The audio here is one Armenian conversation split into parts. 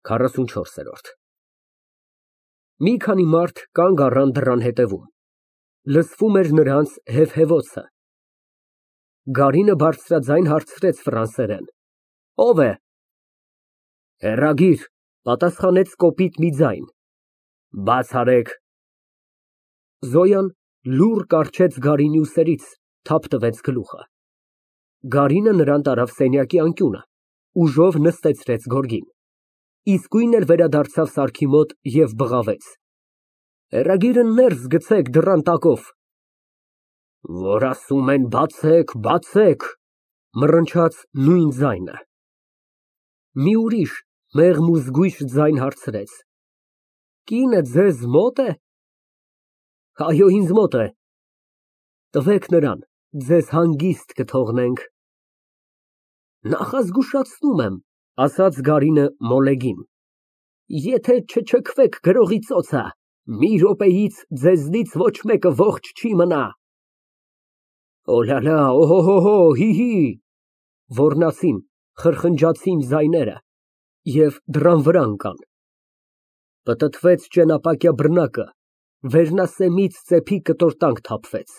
44։ Մի քանի մարդ կանգ առան դռան հետևում, լսվում էր նրանց հեվհևոցը։ Գարինը բարձրաձայն հարցրեց ֆրանսերեն. Ո՞վ է։ Հեռագիր, պատասխանեց կոպիտ մի ձայն։ Բաց արեք։ Զոյան լուռ կառչեց Գարինի ուսերից, թափ տվեց գլուխը։ Գարինը նրան տարավ սենյակի անկյունը, ուժով նստեցրեց գորգին, իսկույն էլ վերադարձավ սարքի մոտ և բղավեց. Հեռագիրը ներս գցեք դռան տակով։ Որ ասում են բացեք, բացեք, մռնչաց նույն ձայնը։ Մի ուրիշ մեղմ ու զգույշ ձայն հարցրեց. Կինը ձեզ մոտ է։ Այո, ինձ մոտ է։ Տվեք նրան, ձեզ հանգիստ կթողնենք։ Նախազգուշացնում եմ, ասաց Գարինը մոլեգին, եթե չչքվեք գրողի ծոցը, մի րոպեից ձեզնից ոչ մեկը ողջ չի մնա։ Օլալա, օհոհո, հի, ոռնացին, խրխնջացին ձայները և դռան վրա ընկան։ Պտտվեց ճենապակյա բռնակը, վերնասեմից ծեփի կտորտանք թափվեց։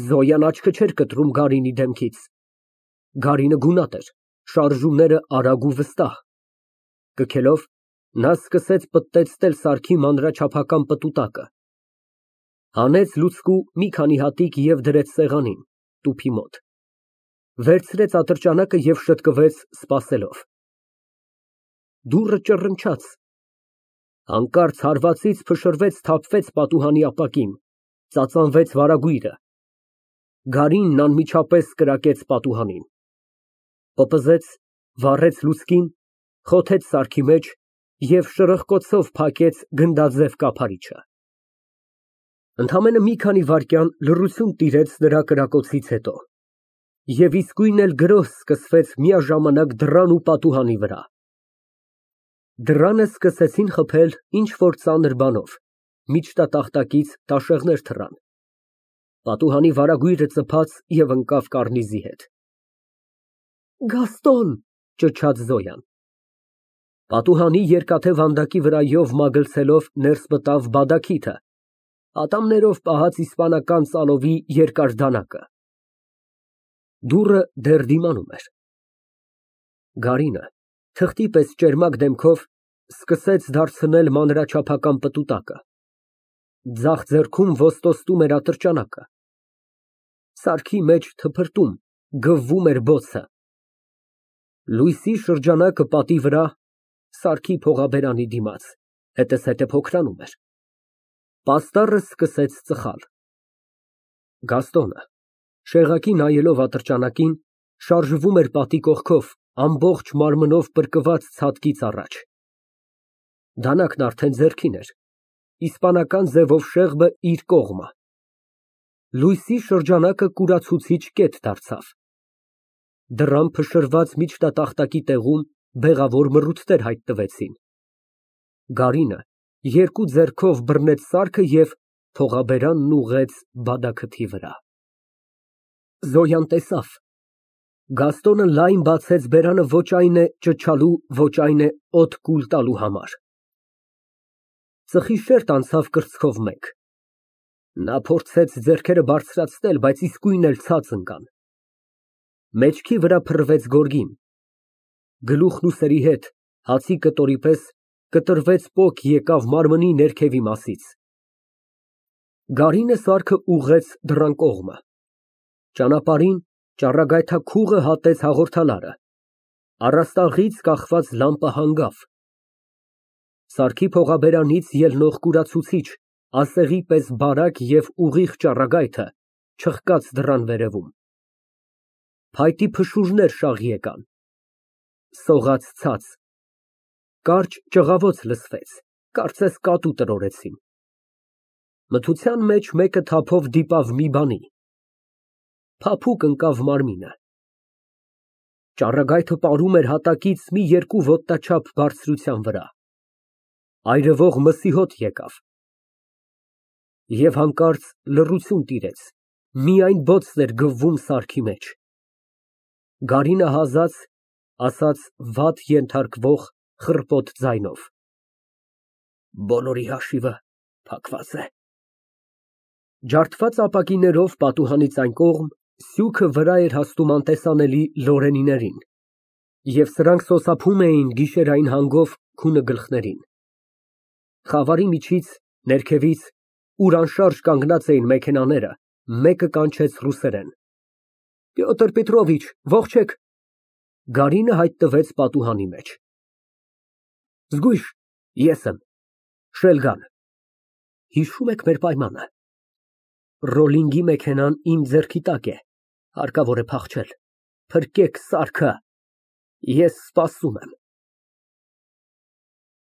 Զոյան աչքը չէր կտրում Գարինի դեմքից։ Գարինը գունատ էր, շարժումները արագ ու վստահ։ Կքելով, նա սկսեց պտտեցնել սարքի մանրաչափական պտուտակը։ Հանեց լուցկու մի քանի հատիկ և դրեց սեղանին, տուփի մոտ։ Վերցրեց ատրճանակը և շտկվեց, սպասելով։ Դուռը ճռնչաց։ Հանկարծ հարվածից փշրվեց, թափվեց պատուհանի ապակին, ծածանվեց վարագույրը։ Գարինն անմիջապես կրակեց պատուհանին։ Պպզեց, վառեց լուցկին, խոթեց սարքի մեջ և շրխկոցով փակեց գնդաձև կափարիչը։ Ընդամենը մի քանի վայրկյան լռություն տիրեց նրա կրակոցից հետո, և իսկույն էլ գրոհ սկսվեց միաժամանակ դռան ու պատուհանի վրա։ Դռանը սկսեցին խփել ինչ֊որ ծանր բանով, միջտատախտակից տաշեղներ թռան։ Պատուհանի վարագույրը ծփաց և ընկավ կառնիզի հետ։ Գաստոն, ճչաց Զոյան։ Պատուհանի երկաթե վանդակի վրայով մագլցելով ներս մտավ բադաքիթը, ատամներով պահած իսպանական ծալովի երկար դանակը։ Դուռը դեռ դիմանում էր։ Գարինը, թղթի պես ճերմակ դեմքով, սկսեց դարձնել մանրաչափական պտուտակը։ Ձախ ձեռքում ոստոտում էր ատրճանակը։ Սարքի մեջ թփրտում, գվվում էր բոցը։ Լույսի շրջանակը պատի վրա, սարքի փողաբերանի դիմաց, հետզհետե փոքրանում էր։ Պաստառը սկսեց ծխալ։ Գաստոնը, շեղակի նայելով ատրճանակին, շարժվում էր պատի կողքով, ամբողջ մարմնով պրկված ցատկից առաջ։ Դանակն արդեն ձեռքին էր, իսպանական ձևով շեղբը իր կողմը։ Լույսի շրջանակը կուրացուցիչ կետ դարձավ։ Դռան փշրված միջտատախտակի տեղում բեղավոր մռութներ հայտնվեցին։ Գարինը երկու ձեռքով բռնեց սարքը և փողաբերանն ուղղեց բադաքթի վրա։ Զոյան տեսավ։ Գաստոնը լայն բացեց բերանը ոչ այն է ճչալու, ոչ այն է օդ կուլ տալու համար։ Ծխի շերտ անցավ կրծքով մեկ։ Նա փորձեց ձեռքերը բարձրացնել, բայց իսկույն էլ ցած ընկան։ Մեջքի վրա փռվեց գորգին։ Գլուխն ուսերի հետ, հացի կտորի պես, կտրվեց պոկ եկավ մարմնի ներքևի մասից։ Գարինը սարքը ուղղեց դռան կողմը։ Ճանապարհին ճառագայթաքուղը հատեց հաղորդալարը։ Առաստաղից կախված լամպը հանգավ։ Սարքի փողաբերանից ելնող կուրացուցիչ, ասեղի պես բարակ և ուղիղ ճառագայթը չխկաց դռան վերևում։ Փայտի փշուրներ շաղ եկան։ Սողաց ցած։ Կարճ ճղավոց լսվեց, կարծես կատու տրորեցին։ Մթության մեջ մեկը թափով դիպավ մի բանի։ Փափուկ ընկավ մարմինը։ Ճառագայթը պարում էր հատակից մի երկու ոտնաչափ բարձրության վրա։ Այրվող մսի հոտ եկավ։ Եվ հանկարծ լռություն տիրեց, միայն բոցն էր գվվում սարքի մեջ։ Գարինը հազաց, ասաց վատ ենթարկվող, խռպոտ ձայնով։ Բոլորի հաշիվը փակված է։ Ջարդված ապակիներով պատուհանից այն կողմ սյուքը վրա էր հասնում անտեսանելի լորենիներին, և սրանք սոսափում էին գիշերային հանգով քունը գլխներին։ Խավարի միջից, ներքևից, ուր անշարժ կանգնած էին մեքենաները, մեկը կանչեց ռուսերեն. Պյոտր Պետրովիչ, ողջեք։ Գարինը հայտնվեց պատուհանի մեջ։ Զգույշ, ես եմ, Շելգան։ Հիշո՞ւմ եք մեր պայմանը։ Ռոլինգի մեքենան իմ ձեռքի տակ է, հարկավոր է փախչել։ Փրկեք սարքը, ես սպասում եմ։